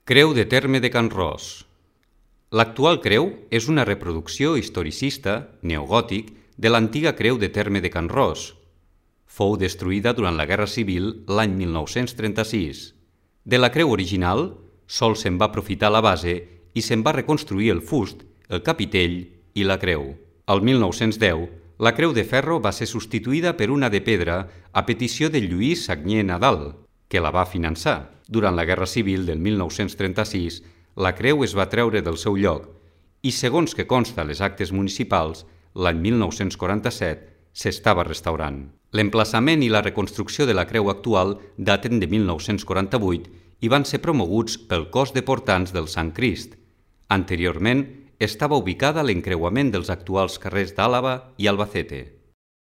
Creu de terme de Can Ros. L'actual creu és una reproducció historicista, neogòtic, de l'antiga creu de terme de Can Ros. Fou destruïda durant la Guerra Civil l'any 1936. De la creu original, sols se'n va aprofitar la base i se'n va reconstruir el fust, el capitell i la creu. Al 1910, la creu de ferro va ser substituïda per una de pedra a petició de Lluís Sagnier Nadal, que la va finançar. Durant la Guerra Civil del 1936, la creu es va treure del seu lloc i, segons que consta a les actes municipals, l'any 1947 s'estava restaurant. L'emplaçament i la reconstrucció de la creu actual daten de 1948 i van ser promoguts pel Cos de Portants del Sant Crist. Anteriorment, estava ubicada a l'encreuament dels actuals carrers d'Àlaba i Albacete.